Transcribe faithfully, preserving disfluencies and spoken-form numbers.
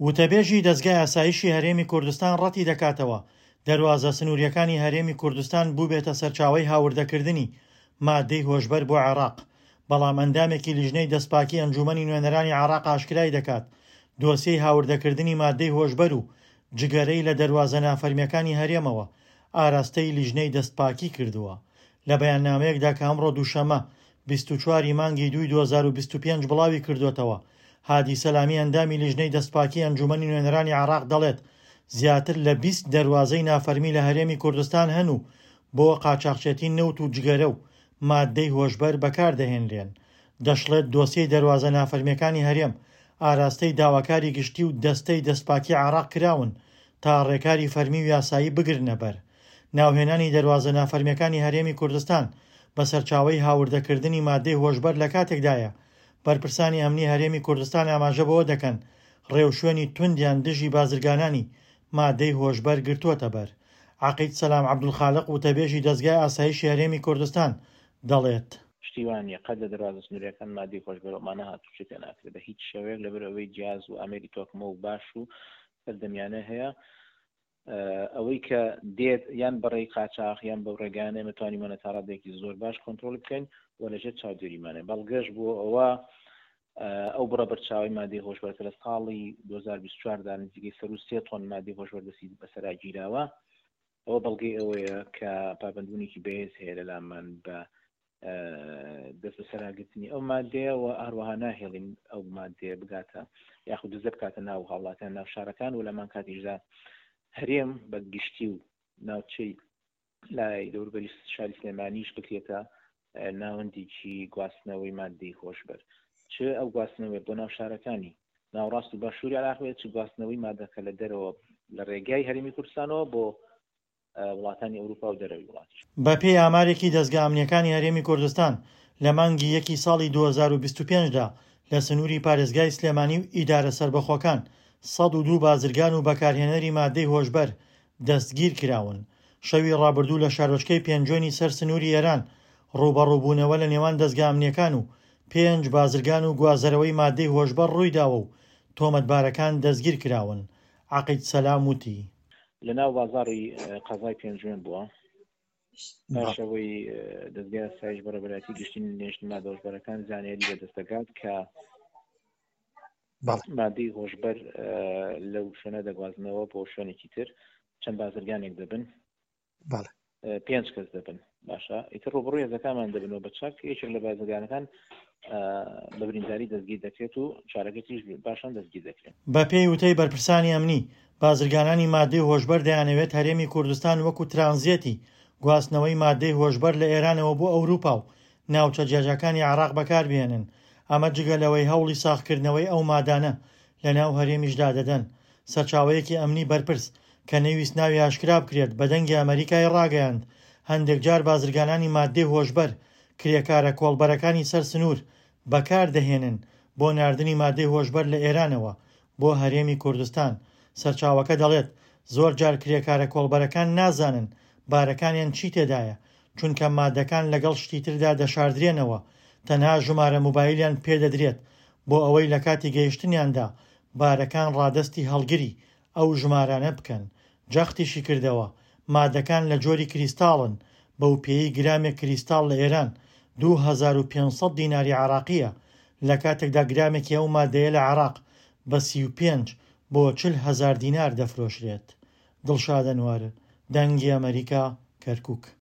وتەبێژی دەزگای ئاسایشی هەرێمی کوردستان ڕەتی دەکاتەوە دەروازە سنوورییەکانی هەرێمی کوردستان بووبێتە سەرچاوەی هاوردەکردنی مادەی هۆشبەر بۆ عێراق، بەڵام ئەندامێکی لیژنەی دەستپاکی ئەنجوومەنی نوێنەرانی عێراق ئاشکرای دەکات دۆسیەی هاوردەکردنی مادەی هۆشبەر و جگەرەی لە دەروازە نافەرمییەکانی هەرێمەوە ئاراستەی لیژنەی دەستپاکی کردووە. لە بەیاننامەیەکدا کە ئەمڕۆ دووشەممە بیست و چوار ی مانگی دووی دوو هەزار و بیست و پێنج بڵاوی کردووەتەوە، هادی سەلامی ئەندامی لیژنەی دەستپاکی ئەنجوومەنی نوێنەرانی عێراق دەڵێت، زیاتر لە بیست دەروازەی نافەرمی لە هەرێمی کوردستان هەن و بۆ قاچاخچێتی نەوت و جگەرە و ماددەی هۆشبەر بەکاردەهێنرێن. دەشڵێت، دۆسیەی دەروازە نافەرمییەکانی هەرێم ئاراستەی داواکاری گشتی و دەستەی دەستپاکی عێراق کراون تا ڕێکاری فەرمی و یاسایی بگرنەبەر. ناوهێنانی دەروازە نافەرمییەکانی هەرێمی کوردستان بە سەرچاوەی هاوردەکردنی ماددەی هۆشبەر لەکاتێکدایە، بەرپرسانی ئەمنی هەرێمی کوردستان ئاماژە بەوە دەکەن، ڕێوشوێنی توندیان دژی بازرگانانی ماددەی هۆشبەر گرتووەتەبەر. عەقید سەلام عەبدولخالق وتەبێژی دەزگای ئاسایشی هەرێمی کوردستان دەڵێت، شتی وا نییە قەت لە دەروازە سنوورییەکان ماددەی هۆشبەر ئەومانە هاتووچۆی پێ ناکرێت بە هیچ شێوەیەک، لەبەر ئەوەی جیاز و ئامێری تۆکمە و باش و سەردەمیانە هەیە. ئەوەی کە دێت یان بەڕێی قاچاخ یان بەو ڕێگانە ئێمە توانیمانە تا ڕادەیەکی زۆر باش کۆنترۆڵی بکەین و لەژێر چاودێریمانە. بەڵگەش بۆ ئەوە ئەو بڕە بەرچاوی مادەی هۆشبەر کە لە ساڵی دوو هەزار و بیست و چوار دا نزیکەی سەر و سێ تۆن مادەی هۆشبەر دەستی بەسەرا گیراوە، ئەوە بەڵگەی ئەوەیە کە پابەندبوونێکی بەهێز هەیە لە لامان بە دەست بەسەراگرتنی ئەو مادەیە و هەروەها ناهێڵین ئەو مادەیە بگاتە یاخود دزە بکاتە ناو هاوڵاتیان ناو شارەکان و لەمان کاتیشدا هەرێم بە گشتی و ناوچەی لای دەوروبەری شاری سلێمانیش بکرێتە ناوەندێکی گواستنەوەی مادەی هۆشبەر، چ ئەو گواستنەوەی بۆ ناو شارەکانی ناوەڕاست و باشووری عێراق بێت، چ گواستنەوەی مادەکە لە دەرەوە لە ڕێگای هەرێمی کوردستانەوە بۆ وڵاتانی ئەوروپا و دەرەوەی وڵاتیش. بەپێی ئامارێکی دەزگا ئەمنییەکانی هەرێمی کوردستان، لە مانگی یەکی ساڵی دوو هەزار و بیست و پێنج دا لە سنووری پارێزگای سلێمانی و ئیدارە سەربەخۆکان سەد و دوو بازرگان و بەکارهێنەری مادەی هۆشبەر دەستگیرکراون. شەوی ڕابردوو لە شارۆچکەی پێنجوێنی سەر سنووری ئێران ڕووبەڕووبوونەوە لە نێوان دەزگا ئەمنییەکان و پێنج بازرگان و گوازەرەوەی مادەی هۆشبەر ڕوویداوە و تۆمەتبارەکان دەستگیرکراون. عەقید سەلام وتی. لە ناو بازاڕی قەزای پێنجوێن بووە. پاش ئەوەی دەزگای ئاسایش بەڕێوەبەرایەتی گشتی نێژنی مادە هۆشبەرەکان زانیاری بەدەست دەگات کە مادەی هۆشبەر لەو شوێنە دەگوازنەوە بۆ شوێنێکی تر، چەند بازرگانێک دەبن، پێنج کەس دەبن. باشە، ئیتر ڕووبەڕووی هێزەکانمان دەبنەوە بە چەک. یەکێک لە بازرگانەکان بە برینداری دەستگیر دەکرێت و چارەکەی تریش باشان دەستگیر دەکرێن. بەپێی وتەی بەرپرسانی ئەمنی، بازرگانانی مادەی هۆشبەر دەیانەوێت هەرێمی کوردستان وەکو ترانزێتی گواستنەوەی مادەی هۆشبەر لە ئێرانەوە بۆ ئەوروپا و ناوچە جیاجیاکانی عێراق بەکاربهێنن، ئەمە جگە لەوەی هەوڵی ساغکردنەوەی ئەو مادانە لەناو هەرێمیشدا دەدەن. سەرچاوەیەکی ئەمنی بەرپرس کە نەیویست ناوی ئاشکرا بکرێت بە دەنگی ئەمەریکای ڕاگەیاند، هەندێک جار بازرگانانی مادەی هۆشبەر کرێکارە کۆڵبەرەکانی سەر سنوور بەکاردەهێنن بۆ ناردنی مادەی هۆشبەر لە ئێرانەوە بۆ هەرێمی کوردستان. سەرچاوەکە دەڵێت، زۆر جار کرێکارە کۆڵبەرەکان نازانن بارەکانیان چی تێدایە، چونکە مادەکان لەگەڵ شتی تردا دەشاردرێنەوە، تەنها ژمارە موبایلیان پێدەدرێت بۆ ئەوەی لە کاتی گەیشتنیاندا بارەکان ڕادەستی هەڵگری ئەو ژمارانە بکەن. جەختیشی کردەوە، مادەکان لە جۆری کریستاڵن، بەو پێیەی گرامێک کریستاڵ لە ئێران دوو هەزار و پێنج سەد دیناری عێراقییە، لە کاتێکدا گرامێکی ئەو مادەیە لە عێراق بە سی و پێنج بۆ چل هەزار دینار دەفرۆشرێت. دڵشاد ئەنوەر، دەنگی ئەمەریکا، کەرکوک.